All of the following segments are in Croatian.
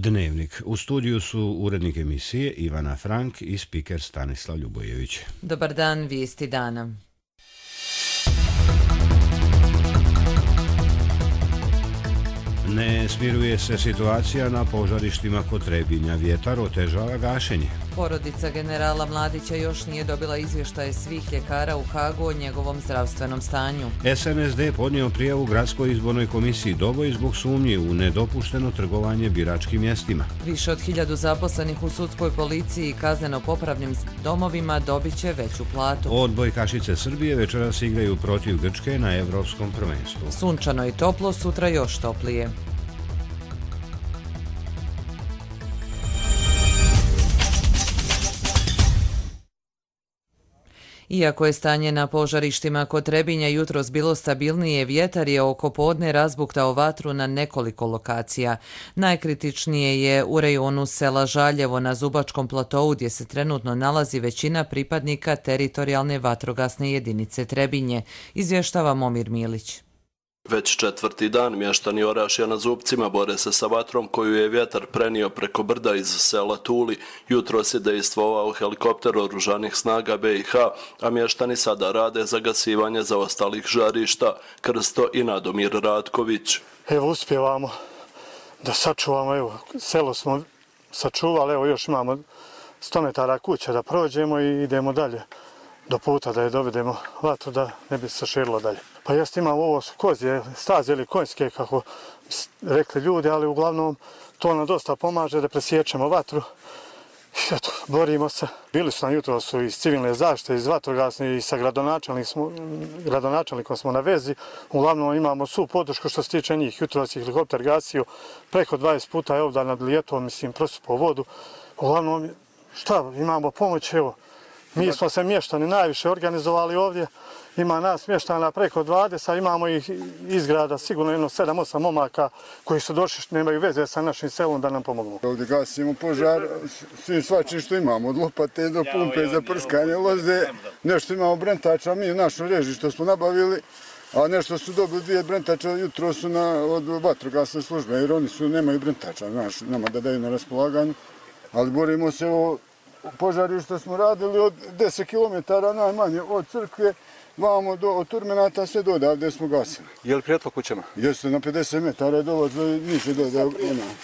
Dnevnik. U studiju su urednik emisije Ivana Frank i spiker Stanislav Ljubojević. Dobar dan, vijesti dana. Ne smiruje se situacija na požarištima kod Trebinja. Vjetar otežava gašenje. Porodica generala Mladića još nije dobila izvještaje svih ljekara u Hagu o njegovom zdravstvenom stanju. SNSD podnio prijavu Gradskoj izbornoj komisiji Doboj zbog sumnji u nedopušteno trgovanje biračkim mjestima. Više od 1000 zaposlenih u sudskoj policiji i kazneno-popravnim domovima dobit će veću platu. Odbojkašice Srbije večeras igraju protiv Grčke na Evropskom prvenstvu. Sunčano i toplo, sutra još toplije. Iako je stanje na požarištima kod Trebinja jutros bilo stabilnije, vjetar je oko podne razbuktao vatru na nekoliko lokacija. Najkritičnije je u rejonu sela Žaljevo na Zubačkom platou gdje se trenutno nalazi većina pripadnika teritorijalne vatrogasne jedinice Trebinje, izvještava Momir Milić. Već četvrti dan mještani Orašja na Zupcima bore se sa vatrom koju je vjetar prenio preko brda iz sela Tuli. Jutros je dejstvovao helikopter oružanih snaga BiH, a mještani sada rade zagasivanje zaostalih žarišta. Krsto i Nadomir Ratković. Evo uspjevamo da sačuvamo, evo selo smo sačuvali, evo još imamo 100 metara kuća da prođemo i idemo dalje do puta da je dovedemo vatru da ne bi se širilo dalje. Pa jeste imamo ovo su kozje, staze ili konjske kako rekli ljudi, ali uglavnom to nam dosta pomaže da presječemo vatru. I eto, borimo se. Bili su nam jutro su iz civilne zaštite, iz vatrogasne i sa gradonačelnikom smo na vezi. Uglavnom imamo svu podršku što se tiče njih. Jutro se helikopter gasio, preko 20 puta je ovdje nad Lijetom, prosupao vodu. Uglavnom, šta, imamo pomoć, evo. Mi smo se mještani najviše organizovali ovdje, ima nas mještana preko 20, imamo ih izgrada sigurno jedno 7-8 momaka koji su došli, nemaju veze sa našim selom da nam pomognu. Ovdje gasimo požar, svi svačim što imamo, od lopate do pumpe za prskanje loze, nešto imamo brentača, mi u našoj režiji što smo nabavili, a nešto su dobili 2 brentača, jutro su od vatrogasne službe, jer oni nemaju brentača, nama da daju na raspolaganju, ali borimo se o požarišta smo radili od 10 km najmanje od crkve, vamo od Turmenata sve do odavde smo gasili. Je li prijetlo kućama? Jeste, na 50 metara dolaze, niže dole.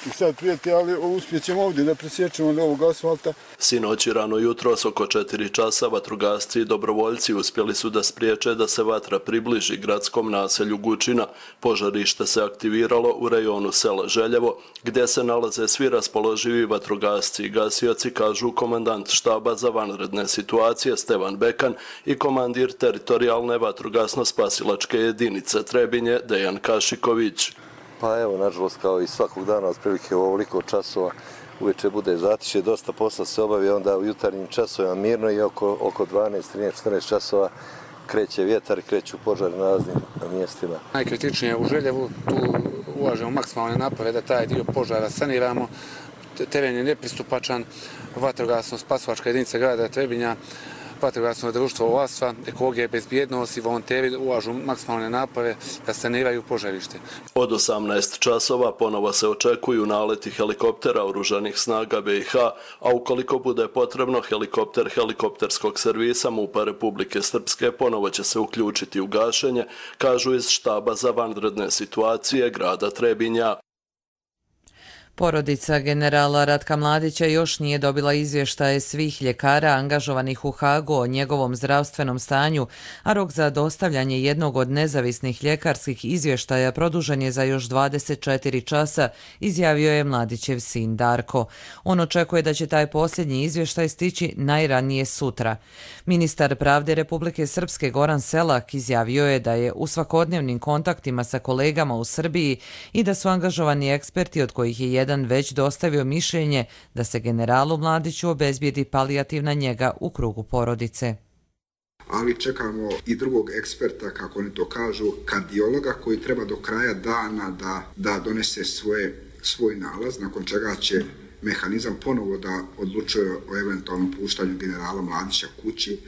I sad prijeti, ali uspjećemo ovdje da presjećemo do ovog asfalta. Sinoć i rano jutros oko 4 časa vatrogasci i dobrovoljci uspjeli su da spriječe da se vatra približi gradskom naselju Gučina. Požarište se aktiviralo u rejonu sela Željevo, gdje se nalaze svi raspoloživi vatrogasci i gasioci, kažu komandant štaba za vanredne situacije Stevan Bekan i komandir teritorijalne vatrogasno-spasilačke jedinice Trebinje Dejan Kašiković. Pa evo, nažalost, kao i svakog dana, otprilike u ovoliko časova uveče bude zatišje, dosta posla se obavi, onda u jutarnjim časovima mirno i oko 12, 13, 14 časova kreće vjetar i kreću požari na raznim mjestima. Najkritičnije u Željevu, tu ulažemo maksimalne napore da taj dio požara saniramo. Teren je nepristupačan, vatrogasno-spasilačka jedinica grada Trebinja, vatrogasno društvo Ovasva, ekologija bezbjednost i volonteri ulažu maksimalne napore da saniraju požarište. Od 18 časova ponovo se očekuju naleti helikoptera oružanih snaga BiH, a ukoliko bude potrebno helikopter helikopterskog servisa MUP-a Republike Srpske ponovo će se uključiti u gašenje, kažu iz štaba za vanredne situacije grada Trebinja. Porodica generala Ratka Mladića još nije dobila izvještaje svih ljekara angažovanih u Hagu o njegovom zdravstvenom stanju, a rok za dostavljanje jednog od nezavisnih ljekarskih izvještaja produžen je za još 24 časa, izjavio je Mladićev sin Darko. On očekuje da će taj posljednji izvještaj stići najranije sutra. Ministar pravde Republike Srpske Goran Selak izjavio je da je u svakodnevnim kontaktima sa kolegama u Srbiji i da su angažovani eksperti od kojih je jedan već dostavio mišljenje da se generalu Mladiću obezbijedi palijativna njega u krugu porodice. Ali čekamo i drugog eksperta, kako oni to kažu, kardiologa koji treba do kraja dana da donese svoj nalaz, nakon čega će mehanizam ponovo da odlučuje o eventualnom puštanju generala Mladića kući,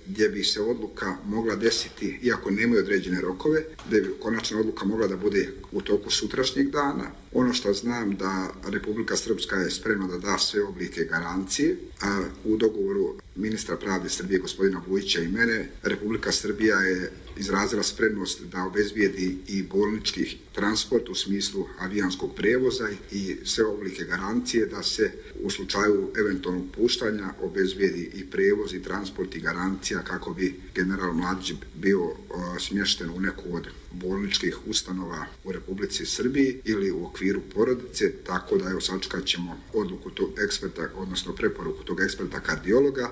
gdje bi se odluka mogla desiti, iako nemaju određene rokove, da bi konačna odluka mogla da bude u toku sutrašnjeg dana, Ono što znam da Republika Srpska je spremna da da sve oblike garancije, a u dogovoru ministra pravde Srbije gospodina Vujića i mene, Republika Srbija je izrazila spremnost da obezbijedi i bolnički transport u smislu avijanskog prijevoza i sve oblike garancije da se u slučaju eventualnog puštanja obezbijedi i prijevoz i transport i garancija kako bi general Mladić bio smješten u neku od bolničkih ustanova u Republici Srbiji ili u okviru porodice, tako da evo sačekat ćemo odluku tog eksperta, odnosno preporuku tog eksperta kardiologa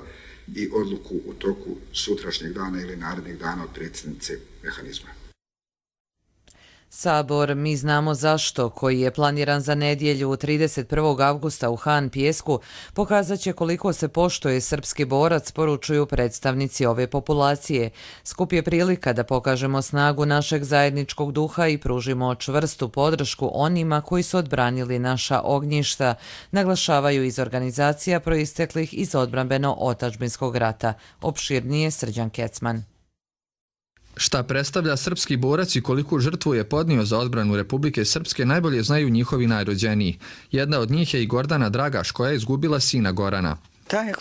i odluku u toku sutrašnjeg dana ili narednih dana od predsjednice mehanizma. Sabor Mi znamo zašto, koji je planiran za nedjelju 31. avgusta u Han Pijesku, pokazat će koliko se poštuje srpski borac, poručuju predstavnici ove populacije. Skup je prilika da pokažemo snagu našeg zajedničkog duha i pružimo čvrstu podršku onima koji su odbranili naša ognjišta, naglašavaju iz organizacija proisteklih iz odbrambeno-otadžbinskog rata. Opširnije Srđan Kecman. Šta predstavlja srpski borac i koliku žrtvu je podnio za odbranu Republike Srpske najbolje znaju njihovi najrođeniji. Jedna od njih je i Gordana Dragaš, koja je izgubila sina Gorana.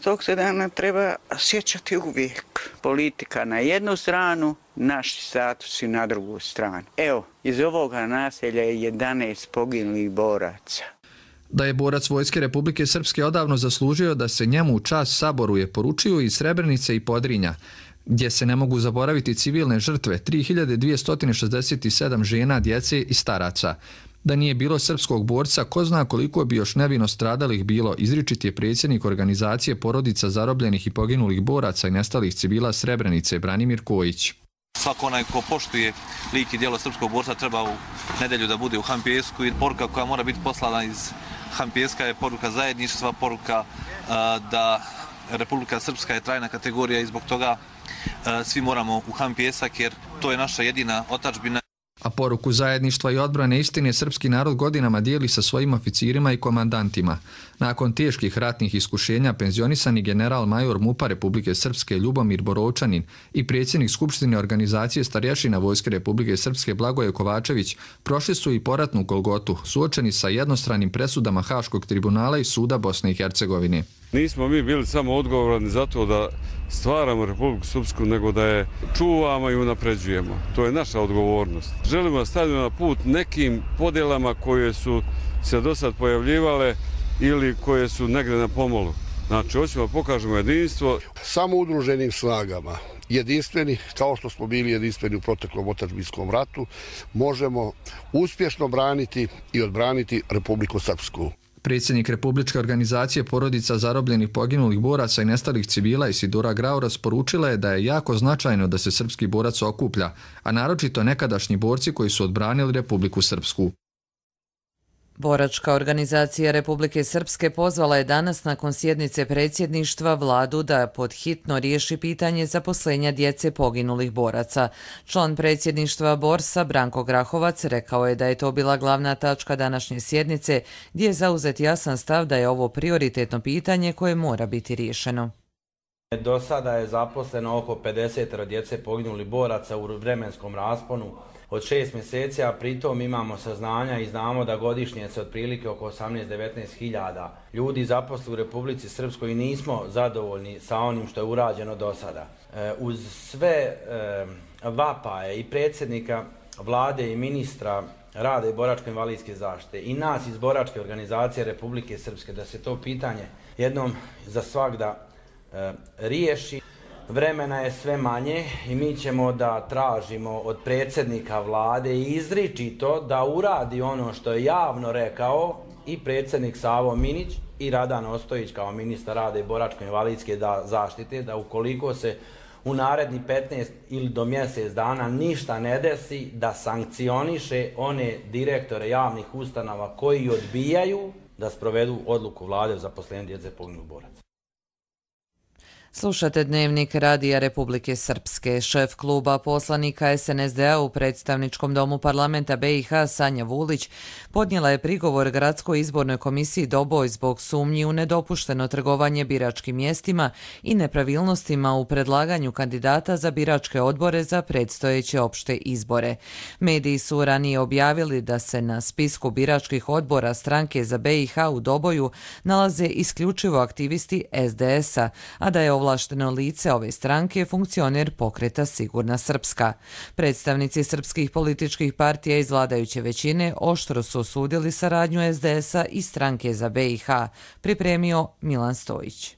Tog se dana treba sjećati uvijek. Politika na jednu stranu, naši statusi na drugu stranu. Evo, iz ovoga naselja je 11 poginulih boraca. Da je borac Vojske Republike Srpske odavno zaslužio da se njemu u čast saboruje, poručuju iz Srebrenice i Podrinja, gdje se ne mogu zaboraviti civilne žrtve, 3267 žena, djece i staraca. Da nije bilo srpskog borca, ko zna koliko bi još nevino stradalih bilo, izričit je predsjednik organizacije porodica zarobljenih i poginulih boraca i nestalih civila Srebrenice, Branimir Kojić. Svako onaj ko poštuje lik i djelo srpskog borca treba u nedjelju da bude u Han Pijesku i poruka koja mora biti poslana iz Han Pijeska je poruka zajedništva, poruka da Republika Srpska je trajna kategorija i zbog toga svi moramo u Han Pijesak jer to je naša jedina otadžbina. A poruku zajedništva i odbrane istine srpski narod godinama dijeli sa svojim oficirima i komandantima. Nakon teških ratnih iskušenja penzionisani general major MUP-a Republike Srpske Ljubomir Borovčanin i predsjednik Skupštine organizacije starješina Vojske Republike Srpske Blagoje Kovačević prošli su i poratnu golgotu, suočeni sa jednostranim presudama Haškog tribunala i suda Bosne i Hercegovine. Nismo mi bili samo odgovorni za to da stvaramo Republiku Srpsku, nego da je čuvamo i unapređujemo. To je naša odgovornost. Želimo da stavimo na put nekim podjelama koje su se do sad pojavljivale ili koje su negdje na pomolu. Znači, hoćemo da pokažemo jedinstvo. Samo udruženim snagama, jedinstveni, kao što smo bili jedinstveni u proteklom otadžbinskom ratu, možemo uspješno braniti i odbraniti Republiku Srpsku. Predsjednik Republičke organizacije porodica zarobljenih poginulih boraca i nestalih civila Isidora Grauras poručila je da je jako značajno da se srpski borac okuplja, a naročito nekadašnji borci koji su odbranili Republiku Srpsku. Boračka organizacija Republike Srpske pozvala je danas nakon sjednice predsjedništva vladu da podhitno riješi pitanje zaposlenja djece poginulih boraca. Član predsjedništva Borsa Branko Grahovac rekao je da je to bila glavna tačka današnje sjednice, gdje je zauzet jasan stav da je ovo prioritetno pitanje koje mora biti riješeno. Do sada je zaposleno oko 50 djece poginulih boraca u vremenskom rasponu od 6 mjeseci, a pritom imamo saznanja i znamo da godišnje se otprilike oko 18-19 hiljada ljudi zaposli u Republici Srpskoj i nismo zadovoljni sa onim što je urađeno do sada. Uz sve vapaje i predsjednika vlade i ministra rada i boračko-invalidske zaštite i nas iz Boračke organizacije Republike Srpske da se to pitanje jednom za svagda riješi. Vremena je sve manje i mi ćemo da tražimo od predsjednika vlade izričito da uradi ono što je javno rekao i predsjednik Savo Minić i Radan Ostojić kao ministar rada i boračko-invalidske zaštite, da ukoliko se u naredni 15 ili do mjesec dana ništa ne desi, da sankcioniše one direktore javnih ustanova koji odbijaju da sprovedu odluku vlade o zaposlenju djece poginulih boraca. Slušate Dnevnik Radija Republike Srpske. Šef kluba poslanika SNSD-a u predstavničkom domu parlamenta BiH Sanja Vulić podnijela je prigovor Gradskoj izbornoj komisiji Doboj zbog sumnji u nedopušteno trgovanje biračkim mjestima i nepravilnostima u predlaganju kandidata za biračke odbore za predstojeće opšte izbore. Mediji su ranije objavili da se na spisku biračkih odbora stranke za BiH u Doboju nalaze isključivo aktivisti SDS-a, a da je ovlašteno lice ove stranke funkcioner pokreta Sigurna Srpska. Predstavnici srpskih političkih partija iz vladajuće većine oštro su osudili saradnju SDS-a i stranke za BiH, pripremio Milan Stojić.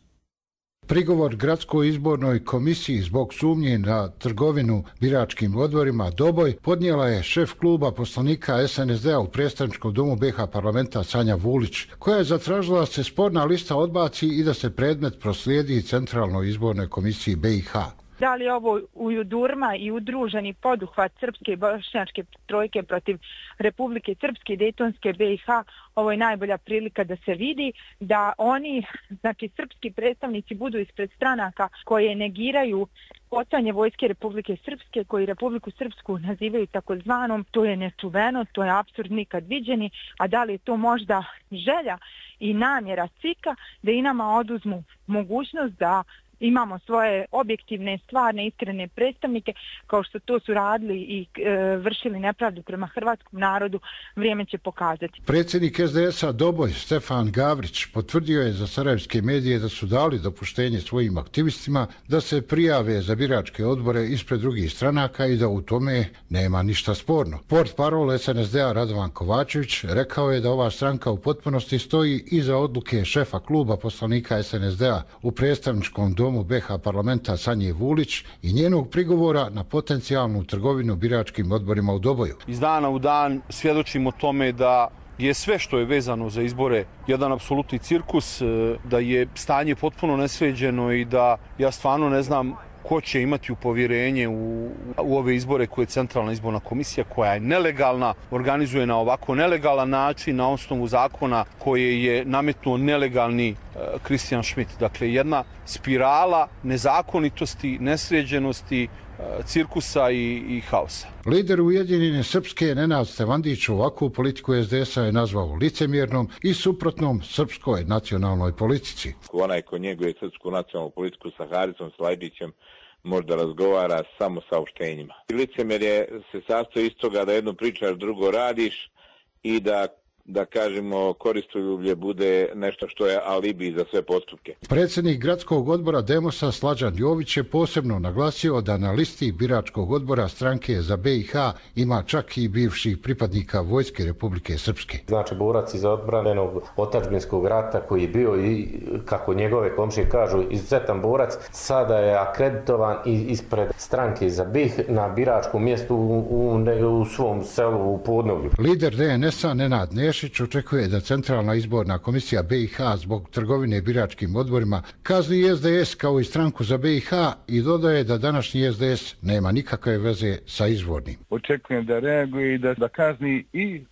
Prigovor Gradskoj izbornoj komisiji zbog sumnje na trgovinu biračkim odborima Doboj podnijela je šef kluba poslanika SNSD-a u predstavničkom domu BiH parlamenta Sanja Vulić, koja je zatražila da se sporna lista odbaci i da se predmet proslijedi Centralnoj izbornoj komisiji BiH. Da li je ovo ujudurma i udruženi poduhvat srpske i bošnjačke trojke protiv Republike Srpske i Dejtonske BiH, ovo je najbolja prilika da se vidi da oni, znači srpski predstavnici, budu ispred stranaka koje negiraju postojanje vojske Republike Srpske, koji Republiku Srpsku nazivaju takozvanom. To je nečuveno, to je apsurd nikad viđeni, a da li je to možda želja i namjera CIK-a da i nama oduzmu mogućnost da imamo svoje objektivne, stvarne, iskrene predstavnike, kao što to su radili i vršili nepravdu prema hrvatskom narodu, vrijeme će pokazati. Predsjednik SDS-a Doboj, Stefan Gavrić, potvrdio je za sarajevske medije da su dali dopuštenje svojim aktivistima da se prijave za biračke odbore ispred drugih stranaka i da u tome nema ništa sporno. Portparol SNSD-a Radovan Kovačević rekao je da ova stranka u potpunosti stoji iza odluke šefa kluba poslanika SNSD-a u predstavničkom domu BiH parlamenta Sanje Vulić i njenog prigovora na potencijalnu trgovinu biračkim odborima u Doboju. Iz dana u dan svjedočimo tome da je sve što je vezano za izbore jedan apsolutni cirkus, da je stanje potpuno nesređeno i da ja stvarno ne znam ko će imati povjerenje u ove izbore koje je Centralna izborna komisija, koja je nelegalna, organizuje na ovako nelegalan način na osnovu zakona koje je nametnuo nelegalni Christian Schmidt. Dakle, jedna spirala nezakonitosti, nesređenosti, cirkusa i haosa. Lider Ujedinjene Srpske Nenad Stevandić ovakvu politiku SDS-a je nazvao licemjernom i suprotnom srpskoj nacionalnoj politici. Onaj ko njeguje srpsku nacionalnu politiku sa Haricom Slajdićem možda razgovara samo saopštenjima. Licemjerje se sastoji iz toga da jedno pričaš, drugo radiš i da kažemo koristoljublje bude nešto što je alibi za sve postupke. Predsjednik gradskog odbora Demosa Slađan Jović je posebno naglasio da na listi biračkog odbora stranke za BiH ima čak i bivših pripadnika vojske Republike Srpske. Znači borac iz odbranjenog otadžbinskog rata koji je bio i, kako njegove komšije kažu, izuzetan borac, sada je akreditovan ispred stranke za BiH na biračkom mjestu u svom selu u Podnovlju. Lider DNS-a Nenad Nešić očekuje da Centralna izborna komisija BiH zbog trgovine biračkim odborima kazni SDS kao i stranku za BiH i dodaje da današnji SDS nema nikakve veze sa izvornim. Očekujem da reaguje i da kazni i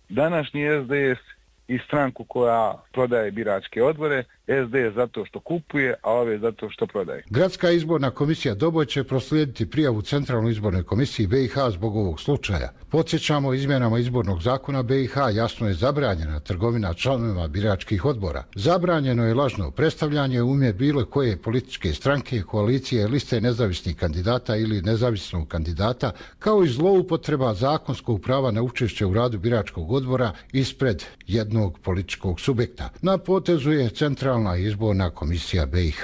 današnji SDS i stranku koja prodaje biračke odbore, SDS zato što kupuje, a ove zato što prodaje. Gradska izborna komisija Doboj će proslijediti prijavu Centralnoj izbornoj komisiji BiH zbog ovog slučaja. Podsjećamo, izmjenama izbornog zakona BiH jasno je zabranjena trgovina članovima biračkih odbora. Zabranjeno je lažno predstavljanje u ime bilo koje političke stranke, koalicije, liste nezavisnih kandidata ili nezavisnog kandidata, kao i zloupotreba zakonskog prava na učešće u radu biračkog odbora ispred jednog političkog subjekta. Na potezu je Centralna izborna komisija BiH.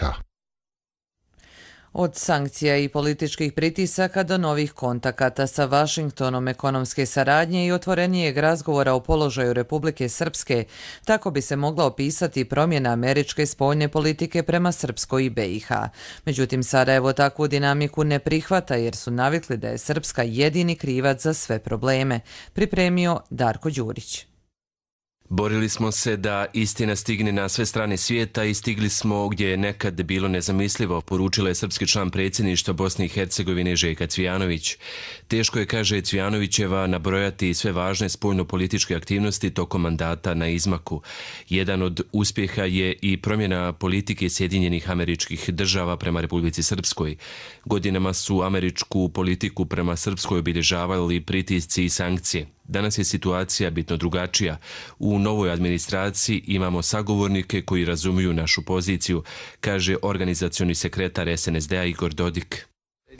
Od sankcija i političkih pritisaka do novih kontakata sa Vašingtonom, ekonomske saradnje i otvorenijeg razgovora o položaju Republike Srpske, tako bi se mogla opisati promjena američke spoljne politike prema Srpskoj i BiH. Međutim, Sarajevo takvu dinamiku ne prihvata jer su navikli da je Srpska jedini krivac za sve probleme, pripremio Darko Đurić. Borili smo se da istina stigne na sve strane svijeta i stigli smo gdje je nekad bilo nezamislivo, poručila je srpski član predsjedništva Bosne i Hercegovine Željka Cvijanović. Teško je, kaže Cvijanovićeva, nabrojati sve važne spoljno-političke aktivnosti tokom mandata na izmaku. Jedan od uspjeha je i promjena politike Sjedinjenih Američkih Država prema Republici Srpskoj. Godinama su američku politiku prema Srpskoj obilježavali pritisci i sankcije. Danas je situacija bitno drugačija. U novoj administraciji imamo sagovornike koji razumiju našu poziciju, kaže organizacioni sekretar SNSD-a Igor Dodik.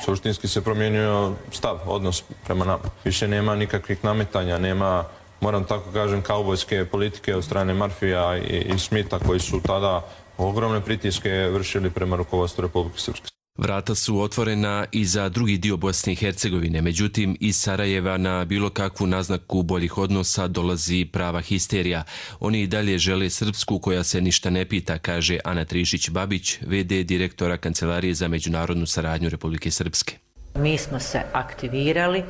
Suštinski se promijenio stav, odnos prema nama. Više nema nikakvih nametanja, nema, moram tako kažem, kaubojske politike od strane Murphyja i Schmidta koji su tada ogromne pritiske vršili prema rukovodstvu Republike Srpske. Vrata su otvorena i za drugi dio Bosne i Hercegovine, međutim iz Sarajeva na bilo kakvu naznaku boljih odnosa dolazi prava histerija. Oni i dalje žele Srpsku koja se ništa ne pita, kaže Ana Trišić-Babić, v.d. direktora Kancelarije za međunarodnu saradnju Republike Srpske. Mi smo se aktivirali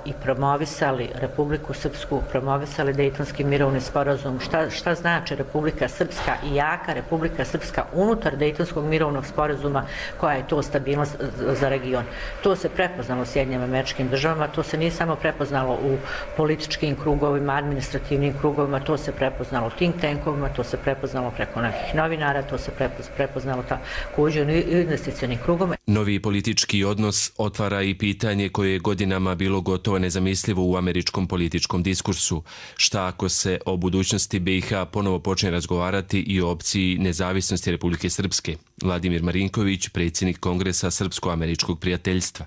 i promovisali Republiku Srpsku, promovisali Dejtonski mirovni sporazum. Šta znači Republika Srpska i jaka Republika Srpska unutar Dejtonskog mirovnog sporazuma, koja je to stabilnost za region. To se prepoznalo u Sjedinjenim Američkim Državama, to se nije samo prepoznalo u političkim krugovima, administrativnim krugovima, to se prepoznalo u think tankovima, to se prepoznalo preko nekih novinara, to se prepoznalo također u investicionim krugovima. Novi politički odnos otvara i pitanje koje je godinama bilo gotovo nezamislivo u američkom političkom diskursu. Šta ako se o budućnosti BiH ponovo počne razgovarati i o opciji nezavisnosti Republike Srpske? Vladimir Marinković, predsjednik Kongresa Srpsko-američkog prijateljstva.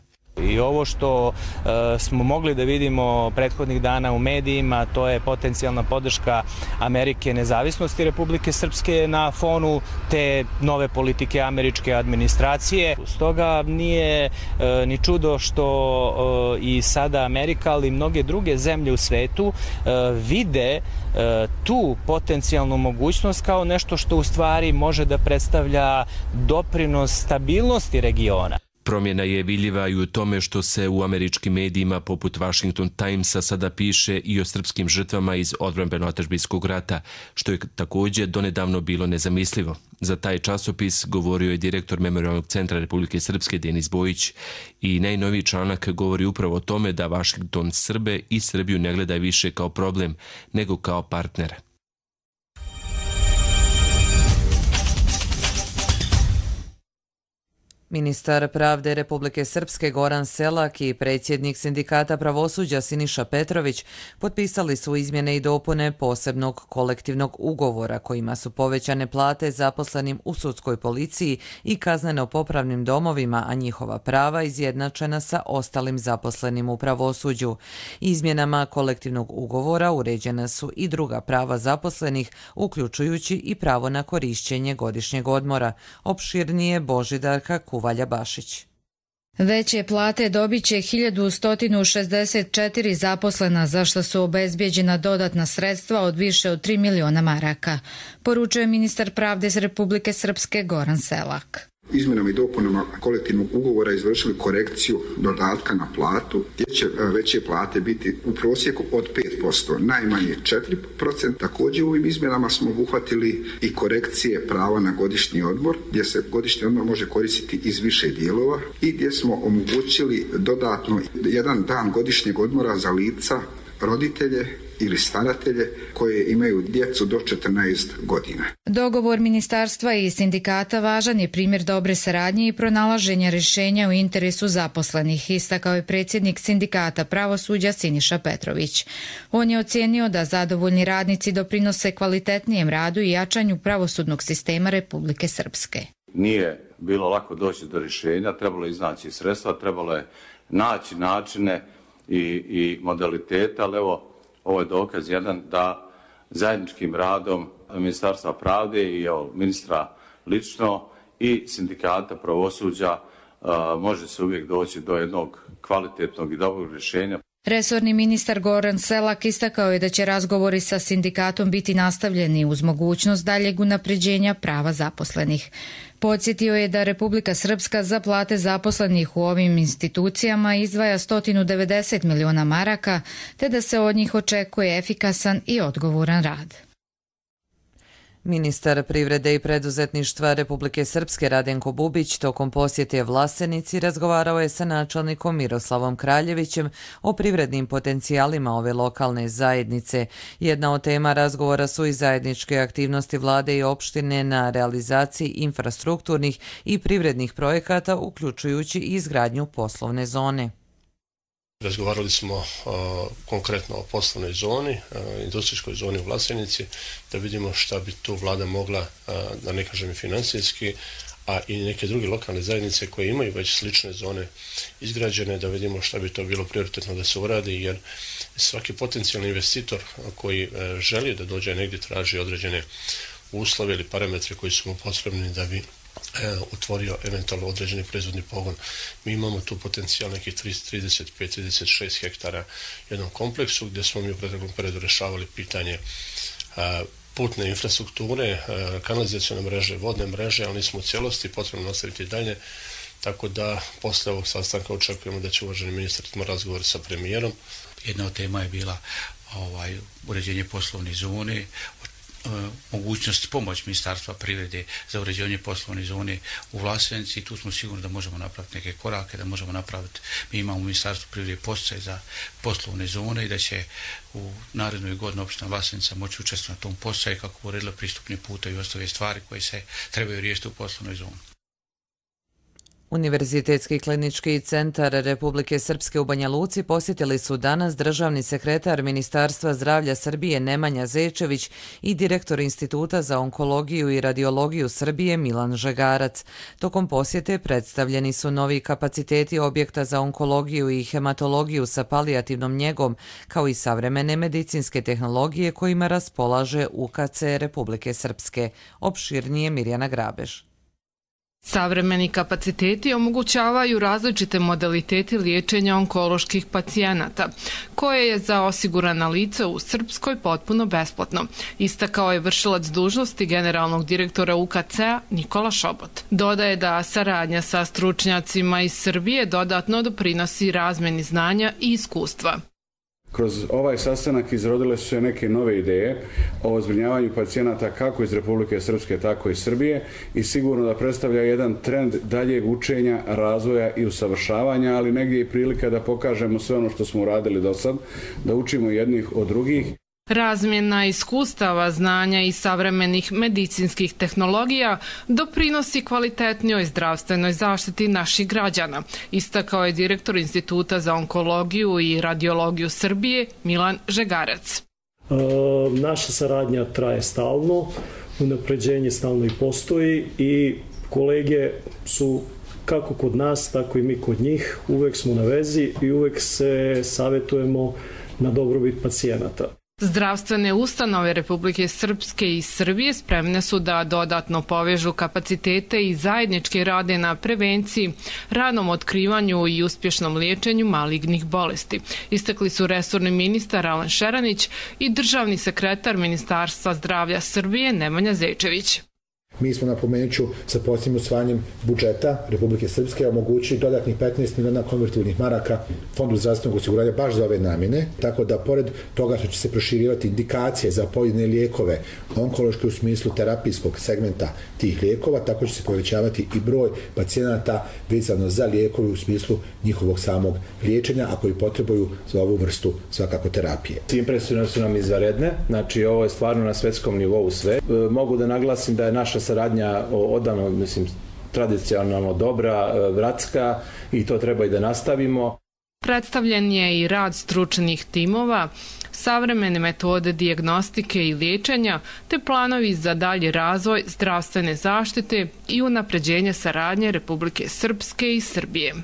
I ovo što smo mogli da vidimo prethodnih dana u medijima, to je potencijalna podrška Amerike nezavisnosti Republike Srpske na fonu te nove politike američke administracije. Stoga nije ni čudo što i sada Amerika, ali i mnoge druge zemlje u svetu vide tu potencijalnu mogućnost kao nešto što u stvari može da predstavlja doprinos stabilnosti regiona. Promjena je vidljiva i u tome što se u američkim medijima poput Washington Timesa sada piše i o srpskim žrtvama iz odbrambeno-otadžbinskog rata, što je također donedavno bilo nezamislivo. Za taj časopis govorio je direktor Memorijalnog centra Republike Srpske Denis Bojić i najnoviji članak govori upravo o tome da Washington Srbe i Srbiju ne gleda više kao problem, nego kao partnera. Ministar pravde Republike Srpske Goran Selak i predsjednik Sindikata pravosuđa Siniša Petrović potpisali su izmjene i dopune posebnog kolektivnog ugovora kojima su povećane plate zaposlenim u sudskoj policiji i kazneno-popravnim domovima, a njihova prava izjednačena sa ostalim zaposlenim u pravosuđu. Izmjenama kolektivnog ugovora uređena su i druga prava zaposlenih, uključujući i pravo na korišćenje godišnjeg odmora. Opširnije Božidarka Kuvalja Bašić. Veće plate dobit će 1164 zaposlena, za što su obezbijeđena dodatna sredstva od više od 3 miliona maraka, poručuje ministar pravde iz Republike Srpske Goran Selak. Izmjenama i dopunama kolektivnog ugovora izvršili korekciju dodatka na platu, gdje će veće plate biti u prosjeku od 5%, najmanje 4%. Također u ovim izmjenama smo obuhvatili i korekcije prava na godišnji odmor, gdje se godišnji odmor može koristiti iz više dijelova i gdje smo omogućili dodatno jedan dan godišnjeg odmora za lica, roditelje ili staratelje koje imaju djecu do 14 godina. Dogovor ministarstva i sindikata važan je primjer dobre saradnje i pronalaženja rješenja u interesu zaposlenih, istakao je predsjednik Sindikata pravosuđa Siniša Petrović. On je ocijenio da zadovoljni radnici doprinose kvalitetnijem radu i jačanju pravosudnog sistema Republike Srpske. Nije bilo lako doći do rješenja, trebalo je iznaći sredstva, trebalo je naći načine i modaliteta, ali evo, ovo je dokaz jedan da zajedničkim radom Ministarstva pravde i ministra lično i Sindikata pravosuđa može se uvijek doći do jednog kvalitetnog i dobrog rješenja. Resorni ministar Goran Selak istakao je da će razgovori sa sindikatom biti nastavljeni uz mogućnost daljeg unapređenja prava zaposlenih. Podsjetio je da Republika Srpska za plate zaposlenih u ovim institucijama izdvaja 190 miliona maraka, te da se od njih očekuje efikasan i odgovoran rad. Ministar privrede i preduzetništva Republike Srpske Radenko Bubić tokom posjete Vlasenici razgovarao je sa načelnikom Miroslavom Kraljevićem o privrednim potencijalima ove lokalne zajednice. Jedna od tema razgovora su i zajedničke aktivnosti vlade i opštine na realizaciji infrastrukturnih i privrednih projekata, uključujući i izgradnju poslovne zone. Razgovarali smo konkretno o poslovnoj zoni, industrijskoj zoni u Vlasenici, da vidimo šta bi tu vlada mogla, da ne kažem i financijski, a i neke druge lokalne zajednice koje imaju već slične zone izgrađene, da vidimo šta bi to bilo prioritetno da se uradi, jer svaki potencijalni investitor koji želi da dođe negdje traži određene uslove ili parametre koji su mu potrebni da bi otvorio eventualno određeni proizvodni pogon. Mi imamo tu potencijal nekih 35-36 hektara u jednom kompleksu gdje smo mi u proteklom periodu rešavali pitanje putne infrastrukture, kanalizacione mreže, vodne mreže, ali nismo u cijelosti, potrebno nastaviti dalje, tako da posle ovog sastanka očekujemo da će uvaženi ministar imati razgovor sa premijerom. Jedna od tema je bila uređenje poslovne zone, mogućnost pomoć Ministarstva privrede za uređenje poslovne zone u Vlasenici. Tu smo sigurni da možemo napraviti neke korake, da možemo napraviti, mi imamo u Ministarstvu privrede podsticaj za poslovne zone i da će u narednoj godini opština Vlasenica moći učestvovati na tom podsticaju kako bi uredila pristupni put i ostale stvari koje se trebaju riješiti u poslovnoj zoni. Univerzitetski klinički centar Republike Srpske u Banja Luci posjetili su danas državni sekretar Ministarstva zdravlja Srbije Nemanja Zečević i direktor Instituta za onkologiju i radiologiju Srbije Milan Žegarac. Tokom posjete predstavljeni su novi kapaciteti objekta za onkologiju i hematologiju sa palijativnom njegom, kao i savremene medicinske tehnologije kojima raspolaže UKC Republike Srpske. Opširnije Mirjana Grabež. Savremeni kapaciteti omogućavaju različite modalitete liječenja onkoloških pacijenata, koje je za osigurana lica u Srpskoj potpuno besplatno, istakao je vršilac dužnosti generalnog direktora UKC-a Nikola Šobot. Dodaje da saradnja sa stručnjacima iz Srbije dodatno doprinosi razmeni znanja i iskustva. Kroz ovaj sastanak izrodile su se neke nove ideje o zbrinjavanju pacijenata kako iz Republike Srpske, tako i Srbije i sigurno da predstavlja jedan trend daljeg učenja, razvoja i usavršavanja, ali negdje i prilika da pokažemo sve ono što smo uradili do sad, da učimo jednih od drugih. Razmjena iskustava, znanja i savremenih medicinskih tehnologija doprinosi kvalitetnijoj zdravstvenoj zaštiti naših građana, istakao je direktor Instituta za onkologiju i radiologiju Srbije Milan Žegarac. Naša saradnja traje stalno, unapređenje stalno i postoji i kolege su kako kod nas, tako i mi kod njih. Uvek smo na vezi i uvek se savjetujemo na dobrobit pacijenata. Zdravstvene ustanove Republike Srpske i Srbije spremne su da dodatno povežu kapacitete i zajednički rade na prevenciji, ranom otkrivanju i uspješnom liječenju malignih bolesti. Istakli su resorni ministar Alen Šeranić i državni sekretar Ministarstva zdravlja Srbije Nemanja Zečević. Mi smo, napomenuću, sa posljednjim usvajanjem budžeta Republike Srpske omogućili dodatnih 15 miliona konvertibilnih maraka Fondu zdravstvenog osiguranja baš za ove namjene, tako da pored toga što će se proširivati indikacije za pojedine lijekove onkološke u smislu terapijskog segmenta tih lijekova, tako će se povećavati i broj pacijenata vezano za lijekove u smislu njihovog samog liječenja, a koji potrebuju za ovu vrstu svakako terapije. Impresije su nam izvanredne, znači ovo je stvarno na svetskom nivou sve. Mogu da naglasim da je naša saradnja odavno, tradicionalno dobra, bratska i to treba i da nastavimo. Predstavljen je i rad stručnih timova, savremene metode dijagnostike i liječenja, te planovi za dalji razvoj zdravstvene zaštite i unapređenje saradnje Republike Srpske i Srbije.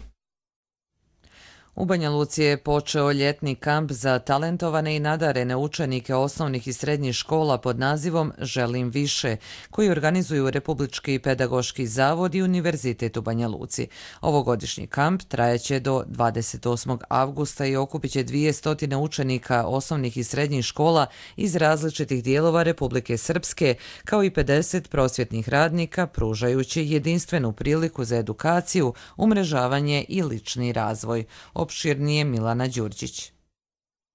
U Banja Luci je počeo ljetni kamp za talentovane i nadarene učenike osnovnih i srednjih škola pod nazivom Želim više, koji organizuju Republički pedagoški zavod i Univerzitet u Banja Luci. Ovogodišnji kamp trajaće do 28. avgusta i okupit će 200 učenika osnovnih i srednjih škola iz različitih dijelova Republike Srpske, kao i 50 prosvjetnih radnika, pružajući jedinstvenu priliku za edukaciju, umrežavanje i lični razvoj. Opširnije Milana Đurđić.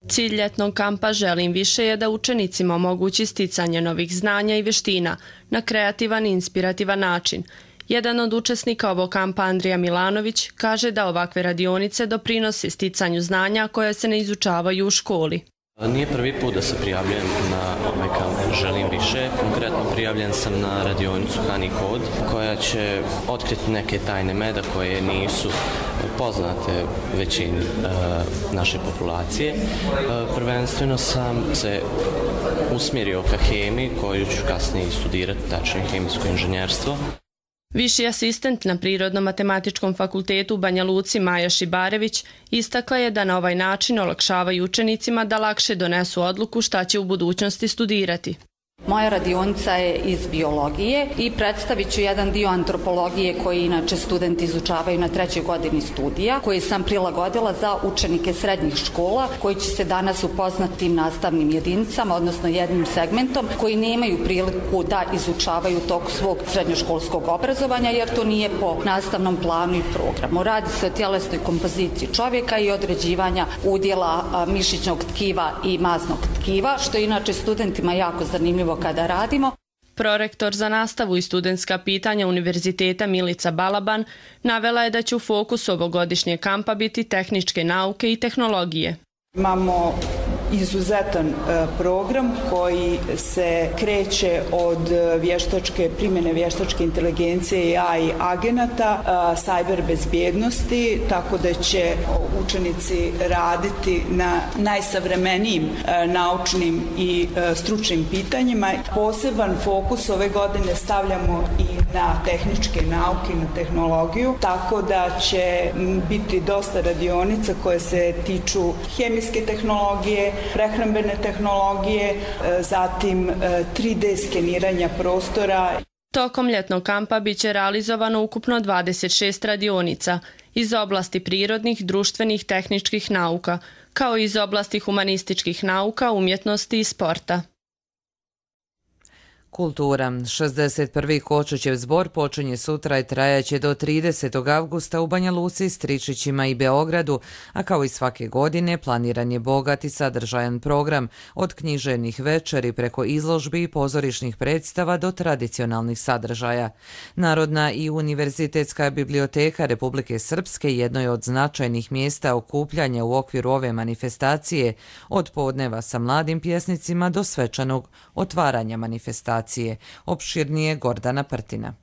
Cilj ljetnog kampa Želim više je da učenicima omogući sticanje novih znanja i vještina na kreativan i inspirativan način. Jedan od učesnika ovog kampa, Andrija Milanović, kaže da ovakve radionice doprinose sticanju znanja koje se ne izučavaju u školi. Nije prvi put da se prijavljujem na ovaj kamp Želim više. Konkretno prijavljen sam na radionicu Hani Kod, koja će otkriti neke tajne meda koje nisu poznate većini naše populacije. Prvenstveno sam se usmjerio ka hemiji, koju ću kasnije studirati, tačnije hemijsko inženjerstvo. Viši asistent na Prirodno-matematičkom fakultetu u Banja Luci Maja Šibarević istakla je da na ovaj način olakšavaju učenicima da lakše donesu odluku šta će u budućnosti studirati. Moja radionica je iz biologije i predstavit ću jedan dio antropologije koji inače studenti izučavaju na 3. godini studija, koji sam prilagodila za učenike srednjih škola koji će se danas upoznati tim nastavnim jedinicama, odnosno jednim segmentom koji nemaju priliku da izučavaju tok svog srednjoškolskog obrazovanja jer to nije po nastavnom planu i programu. Radi se o tjelesnoj kompoziciji čovjeka i određivanja udjela mišićnog tkiva i masnog tkiva, što je inače studentima jako zanimljivo kada radimo. Prorektor za nastavu i studentska pitanja Univerziteta Milica Balaban navela je da će u fokusu ovogodišnjeg kampa biti tehničke nauke i tehnologije. Imamo izuzetan program koji se kreće od primjene vještačke inteligencije i AI agenata, cyber bezbjednosti, tako da će učenici raditi na najsavremenijim naučnim i stručnim pitanjima. Poseban fokus ove godine stavljamo i na tehničke nauke i na tehnologiju, tako da će biti dosta radionica koje se tiču hemijske tehnologije, prehrambene tehnologije, zatim 3D skeniranja prostora. Tokom ljetnog kampa biće realizovano ukupno 26 radionica iz oblasti prirodnih, društvenih, tehničkih nauka, kao i iz oblasti humanističkih nauka, umjetnosti i sporta. Kultura. 61. Kočićev zbor počinje sutra i trajaće do 30. avgusta u Banja Luci, Stričićima i Beogradu, a kao i svake godine planiran je bogat i sadržajan program, od književnih večeri preko izložbi i pozorišnih predstava do tradicionalnih sadržaja. Narodna i univerzitetska biblioteka Republike Srpske jedno je od značajnih mjesta okupljanja u okviru ove manifestacije, od podneva sa mladim pjesnicima do svečanog otvaranja manifestacije. Opširnije Gordana Prtina.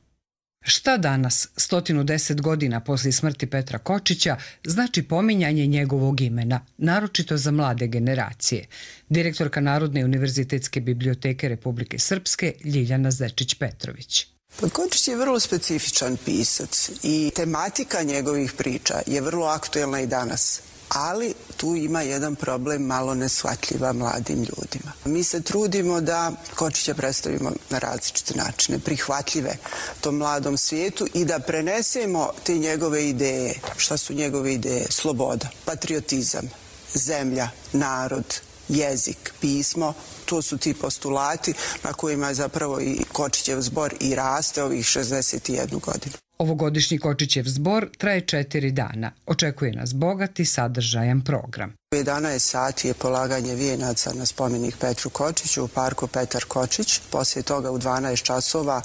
Šta danas, 110 godina poslije smrti Petra Kočića, znači pominjanje njegovog imena, naročito za mlade generacije? Direktorka Narodne univerzitetske biblioteke Republike Srpske Ljiljana Zečić-Petrović. Kočić je vrlo specifičan pisac i tematika njegovih priča je vrlo aktuelna i danas. Ali tu ima jedan problem malo neshvatljiva mladim ljudima. Mi se trudimo da Kočića predstavimo na različite načine, prihvatljive tom mladom svijetu i da prenesemo te njegove ideje. Šta su njegove ideje? Sloboda, patriotizam, zemlja, narod, jezik, pismo. To su ti postulati na kojima je zapravo i Kočićev zbor i raste ovih 61 godinu. Ovogodišnji Kočićev zbor traje 4 dana. Očekuje nas bogat i sadržajan program. U 11 sati je polaganje vijenaca na spomenik Petru Kočiću u parku Petar Kočić. Poslije toga u 12 časova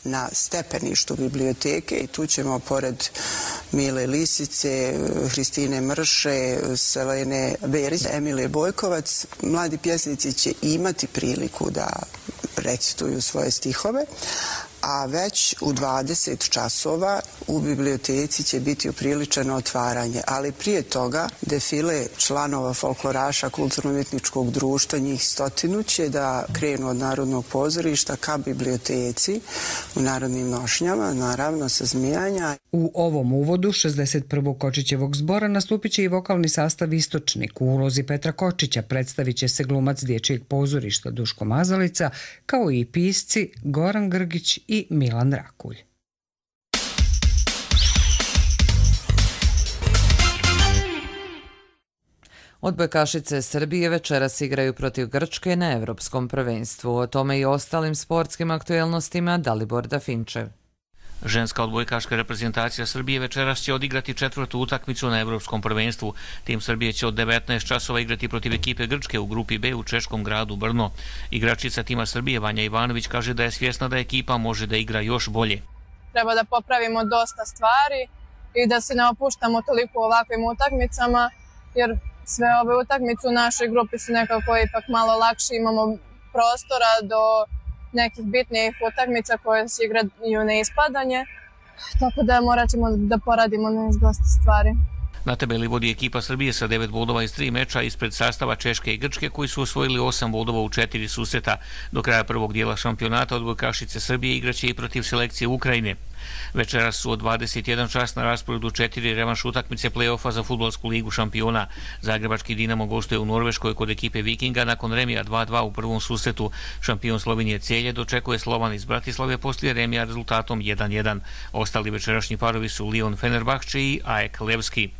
na stepeništu biblioteke i tu ćemo pored Mile Lisice, Hristine Mrše, Selene Berić, Emilije Bojkovac, mladi pjesnici će imati priliku da recituju svoje stihove, a već u 20 časova u biblioteci će biti upriličeno otvaranje, ali prije toga defile članova folkloraša Kulturno-umjetničkog društva, njih 100 će da krenu od Narodnog pozorišta ka biblioteci u narodnim nošnjama, naravno sa zmijanja. U ovom uvodu 61. Kočićevog zbora nastupit će i vokalni sastav Istočnik. U ulozi Petra Kočića predstavit će se glumac Dječjeg pozorišta Duško Mazalica, kao i pisci Goran Grgić i Milan Rakulj. Odbojkašice Srbije večeras igraju protiv Grčke na Evropskom prvenstvu. O tome i ostalim sportskim aktuelnostima Dalibor Dafinčev. Ženska odbojkaška reprezentacija Srbije večeras će odigrati 4. utakmicu na Evropskom prvenstvu. Tim Srbije će od 19 časova igrati protiv ekipe Grčke u grupi B u češkom gradu Brno. Igračica tima Srbije Vanja Ivanović kaže da je svjesna da ekipa može da igra još bolje. Treba da popravimo dosta stvari i da se ne opuštamo toliko u ovakvim utakmicama, jer sve ove utakmice u našoj grupi su nekako ipak malo lakše, imamo prostora do nekih bitnijih utakmica koje se igraju na ispadanje, tako da morat ćemo da poradimo na dosta stvari. Na tabeli vodi ekipa Srbije sa 9 bodova iz 3 meča ispred sastava Češke i Grčke koji su osvojili 8 bodova u 4 susreta. Do kraja prvog dijela šampionata odbojkašice Srbije igraće i protiv selekcije Ukrajine. Večeras su od 21 čas na rasporedu 4 revanš utakmice play-offa za fudbalsku ligu šampiona. Zagrebački Dinamo gostuje u Norveškoj kod ekipe Vikinga nakon remija 2-2 u prvom susretu. Šampion Slovenije Celje dočekuje Slovan iz Bratislave poslije remija rezultatom 1-1. Ostali večerašnji parovi su Lyon Fenerbahče i AEK Levski.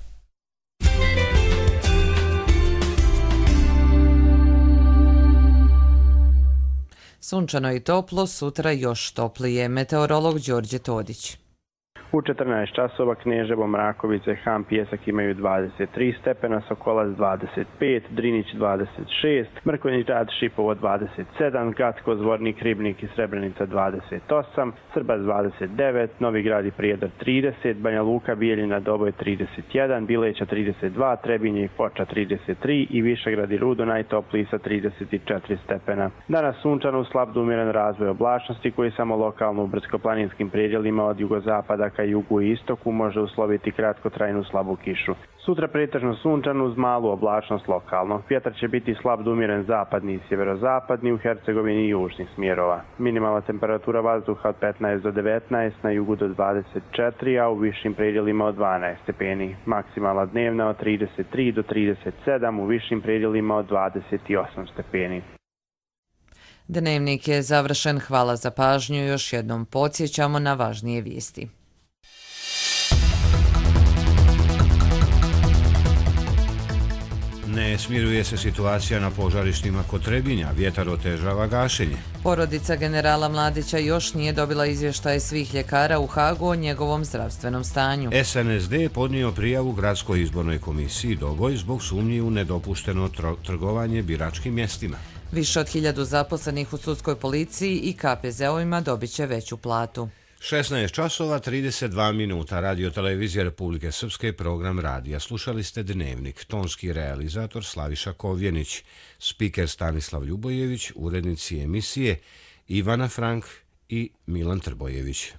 Sunčano i toplo, sutra još toplije. Meteorolog Đorđe Todić. U 14 časova Kneževo, Mrakovice, Han, Pjesak imaju 23 stepena, Sokolac 25, Drinić 26, Mrkonjić Grad, Šipovo 27, Gatko, Zvornik, Ribnik i Srebrenica 28, Srbac 29, Novi Grad i Prijedor 30, Banja Luka, Bijeljina, Doboj 31, Bileća 32, Trebinje i Foča 33 i Višegrad i Rudo najtopliji sa 34 stepena. Danas sunčano, slab do umjeren razvoj oblačnosti koji samo lokalno u brdsko-planinskim predjelima od jugozapada ka jugu i istoku može usloviti kratkotrajnu slabu kišu. Sutra pretežno sunčano uz malu oblačnost lokalno. Vjetar će biti slab do umjeren zapadni i sjeverozapadni u Hercegovini i južnih smjerova. Minimalna temperatura vazduha od 15 do 19, na jugu do 24, a u višim predjelima od 12 stepeni. Maksimalna dnevna od 33 do 37, u višim predjelima od 28 stepeni. Dnevnik je završen. Hvala za pažnju. Još jednom podsjećamo na važnije vijesti. Ne smiruje se situacija na požarištima kod Trebinja, vjetar otežava gašenje. Porodica generala Mladića još nije dobila izvještaje svih ljekara u Hagu o njegovom zdravstvenom stanju. SNSD je podnio prijavu Gradskoj izbornoj komisiji Doboj zbog sumnji u nedopušteno trgovanje biračkim mjestima. Više od 1000 zaposlenih u sudskoj policiji i KPZ-ovima dobit će veću platu. 16 časova 32 minuta. Radio televizija Republike Srpske, program radija. Slušali ste Dnevnik. Tonski realizator Slaviša Kovjenić, spiker Stanislav Ljubojević, urednici emisije Ivana Frank i Milan Trbojević.